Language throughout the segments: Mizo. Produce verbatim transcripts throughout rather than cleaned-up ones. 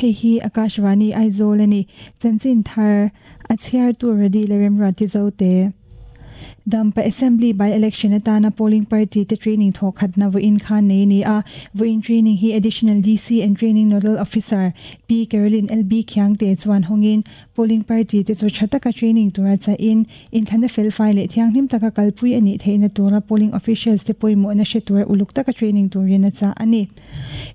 Hei hi Akashvani Aizawl ani chanchin thar a chhiar tur radi le remra ti zo te. Dampa Assembly by election atana polling party te training thokhat na voin khan nei ni a voin training hi additional D C and training nodal officer P Caroline L B Khiangte chuan hongin polling party te chu thataka training tura cha in in thana fel file le thianghlim taka kalpui ani theina tura polling officials te poimo na she tura uluk taka training turina cha ani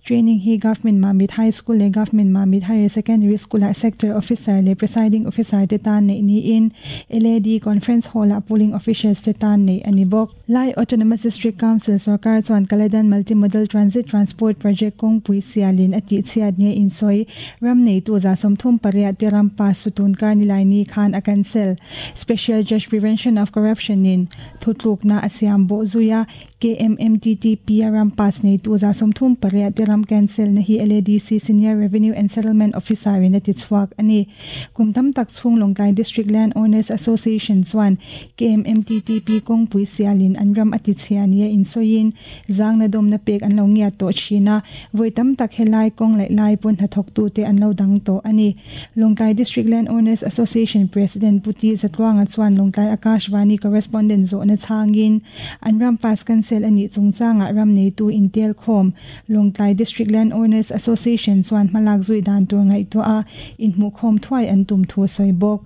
training hi government Mamit High School le government Mamit Higher Secondary School a sector officer le presiding officer te tan nei ni in L A D conference hall a polling officials setan nei anibok Lai Autonomous District Council sarkar chuan Kaladan Multimodal Transit Transport Project kong pui sialin ati chiat ne insoi ram nei tu za somthum paria teram pa sutun karnilai ni khan a cancel Special Judge Prevention of Corruption in thutluk na asiam bo zuya K M M T T P ram pass nei tu za somthum paria teram cancel na hi L A D C Senior Revenue and Settlement Officer in ati chuak ani kumtam tak chung Longkai District Land Owners Association chuan K M M T T P kong pui sialin anram ati chiania in soin zang na dom na pek an lo ngia to china voitam tak helai kong lai lai pon ha thok tu te an lo dang to ani Longkai District Land Owners Association President Puti Zatwanga chuan Longkai Akashvani correspondent zo na changin anram pass cancel ani chungchanga ram nei tu intel khom Longkai District Land Owners Association chuan malak zui dan tur ngai to a in mu khom thuai an tum thu soibok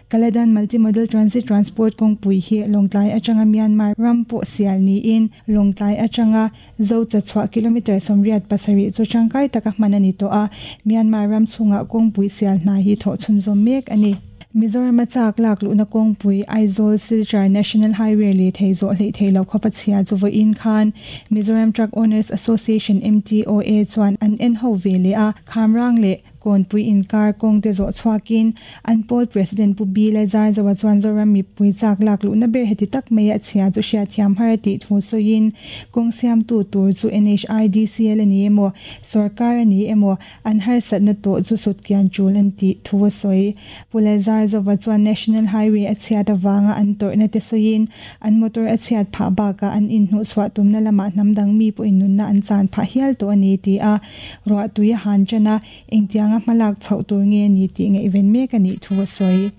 Kaladan Multimodal Transit Transport kong pui hi Longtlai atanga Myanmar rampo sial ni in Longtlai atanga zo cha chwa kilometer somriat pasari chu changkai taka manani to a Myanmar ram chunga kong pui sial na hi tho chunzom mek ani Mizoram chak lak lu na kong pui Aizawl Silchar National Highway le thei zo le thei lo khopa chhia chu vo in khan Mizoram Truck Owners Association M T O A chuan an en ho ve le a khamrang le kon pui in kar kong te zo chhuakin an pol president pu bi le zar zawa chuan zoram mi pui chak lak lu na ber heti tak mai a chhia chu hria thiam har ti thu soin kong siam tu tur chu N H I D C L ani emo sarkar ani emo an har sat na to chu sut kian chul an ti thu soi pule zar zawa chuan National Highway a chhia ta wanga an tor na te soin an motor a chhiat pha ba ka an in hnu chwa tum na lama namdang mi pu in nun na an chan pha hial to ani ti a ro tuya han chana engtianga malak chho tur nge ni ti nge event me ka ni thu soi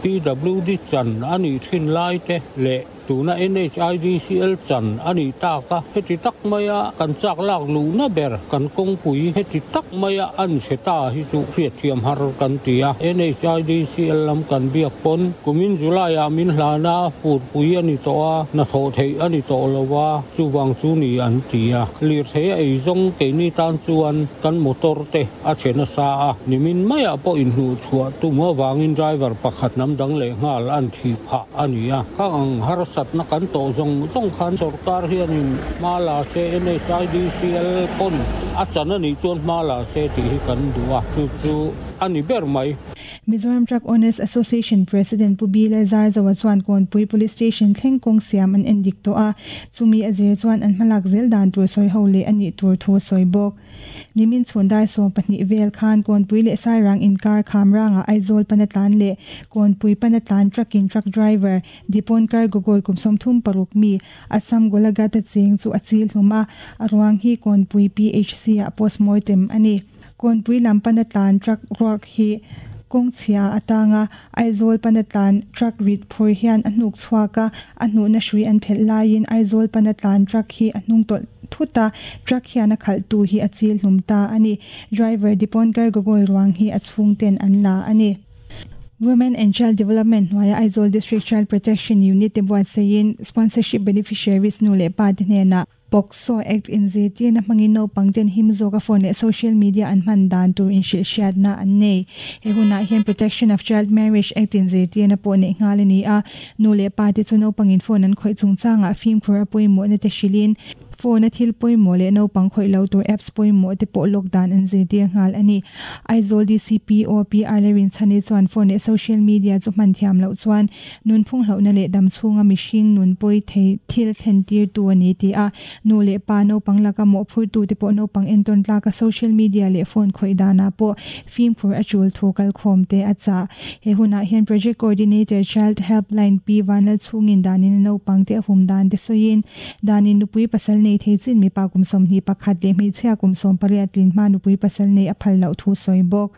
P W D chan ani thin lai te le tuna N H I D C L chan ani ta ka heti tak maya kan chak lak lu na ber kan kong pui heti tak maya an seta hi chu thiat thiam har kan tia N H I D C L lam kan biak pon kumin July a min hlana fur pui ani to a na tho thei ani to lowa chuwang chu ni an tia lir the ei zong ke ni tan chuan kan motor te a chena sa a nimin maya po in hnu chua tuma wangin driver pakhat nam dang le ngal an thi pha ani a ka ang har sat na kan to zong zong khan sarkar hianin mala se N H I D C L pon a chana ni chuan mala se ti hi kan duwa chu chu ani ber mai Mizoram Truck Owners Association President Pubi Lazar zawa chuan Kawnpui Police Station thleng kong siam an endik to a chumi azir chuan an hmalak zel dan tur soi ho le ani tur thu soi bok nimin chhundar som pahnih vel khan Kawnpui le Sairang inkar khamranga Aizawl panatlan le Kawnpui panatlan trucking truck driver Diponkar Gogoi kumsom thum paruk mi Assam Golaghat cheng chu achil hluma arwang hi Kawnpui P H C a postmortem ani Kawnpui lam panatlan truck ruak hi kong chhia atanga Aizawl panatlan truck rit phur hian a hnuk chhuaka a hnu na hrui an phel laiin Aizawl panatlan truck hi a hnung tawlh thuta truck hian a khalh tu hi a chil hlum ta ani driver Diponkar Gogoi ruang hi a chhung ten an la ani Women and Child Development hnuaia Aizawl District Child Protection Unit te buatsain sponsorship beneficiaries nu leh pa te hnenah POCSO Act in zetir na hmangin naupang ten him zawka phone leh social media an hman dan tur in hrilh hriatna an nei he hunah hian Protection of Child Marriage Act in zetir na pawh neih nghal ani a nu leh pa te chu naupangin phone an khawih chungchangah fimkhur a pawimawh na te hrilhin phone a thil pawimawh leh naupang khawih lo tur apps pawimawh te pawh lockdown an zirtir nghal ani Aizawl D C P O P R Lerin chhani chuan phone leh social media chu hman thiam loh chuan nun phung hlauhna leh dam chhunga mihring nun pawi thei thil thlen tir tu ani ti a nu leh pa naupang laka mawhphur tu te pawh naupang entawn tlaka social media leh phone khawih dana pawh fimkhur a chul thu kal khawm te a cha he hunah hian project coordinator child helpline P Vanlal chhungin danin naupang te a hum dan te sawiin danin nupui pasal nei thei chin mipa kum sawmhnih pakhat leh hmeichhia kum sawm pariat tlin hma nupui pasal nei a phal loh thu sawi bawk.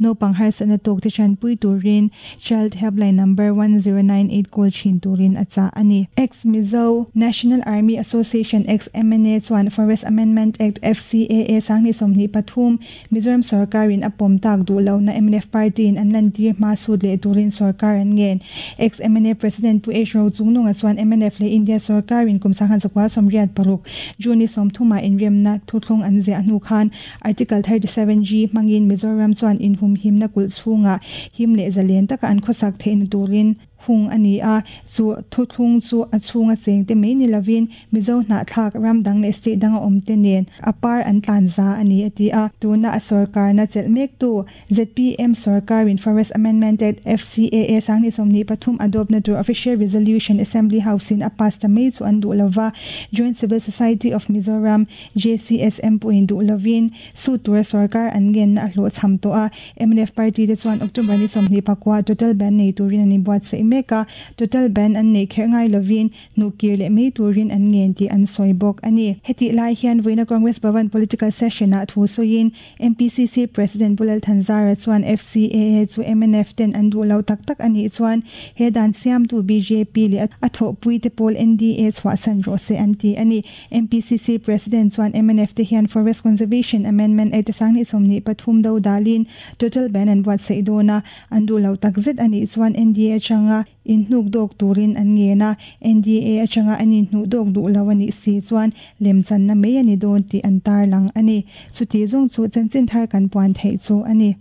Naupang harsatna tawk te chanpui turin Child Helpline number one zero nine eight call thin turin a chah a ni. Ex Mizo National Army Association ex M N A chuan Forest Amendment Act F C A A sanghnih sawmhnih pathum Mizoram sarkarin a pawm tak duh lohna M N F party in an lantir hma sut leh turin sarkar an ngen. Ex M N A President Pu H Rochungnunga chuan M N F leh India sarkarin kum sanghan zakua sawmriat paruk June sawmthuma inremna thuthlung an ziah hnu khan Article thirty seven G hmangin Mizoram chuan inhumhimna kulh chhunga him leh zalen taka an khawsak theihna turin hung ani a. Chu thuthlung chu a chhunga chengte mai ni lovin Mizo hnahthlak ram dang leh state danga awm te nen a par an tlan za ani a ti a. Tuna a sarkar na chelh mek tu Z P M sarkarin Forest Amendment Act F C A A sanghnih sawmhnih pathum adopt na tur official resolution Assembly House in a pass ta mai chu an duh lova. Joint Civil Society of Mizoram J C S M puin duh lovin su tur sarkar an ngen na a hlawh cham to a. M N F party te chuan October ni sawmhnih pakua total ban nei turin ani buatsaih mek a. Total ban an nei kher ngai lovin nukir leh mai turin an ngen ti an sawi bawk ani. Heti lai hian voina Congress Bhavan political session a thu sawiin M P C C President Pu Lal Thanzara chuan F C A A chu M N F ten an duh lo tak tak ani chuan he dan siam tu B J P leh a thawhpui te pawl N D A chhuah san rawh se an ti ani. M P C C President chuan M N F te hian Forest Conservation Amendment Act sanghnih sawmhnih pathum do dalin total ban an buatsaih dawna an duh lo tak zet ani chuan N D A atanga in hnuk dawk turin an ngen a. N D A atanga an in hnuh dawk duh lo ani si chuan lemchan na mai ani dawn tih an tar lang ani. Chuti zawng chu chanchin thar kan puan theih chu ani.